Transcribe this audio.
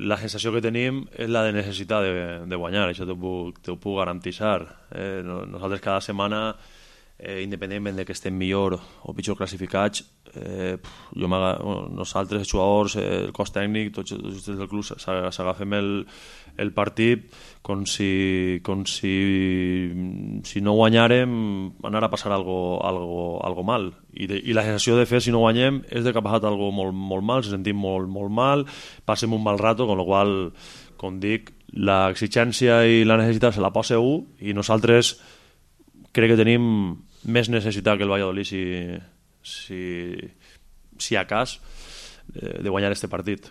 la sensació que tenim és la de necessitat de guanyar, això t'ho puc garantitzar. Nosaltres cada setmana, independentment de que estem millor o pitjor classificats, nosaltres, els jugadors, el cos tècnic, tots des del club s'agafem el partit com si no guanyàrem anar a passar algo mal, i la sensació de fer si no guanyem és de que ha passat algo molt, molt mal, se sentim molt, molt mal, passem un mal rato, con lo qual, com dic, l'exigència i la necessitat se la posa un, i nosaltres crec que tenim més necessitat que el Valladolid si a cas de guanyar este partit.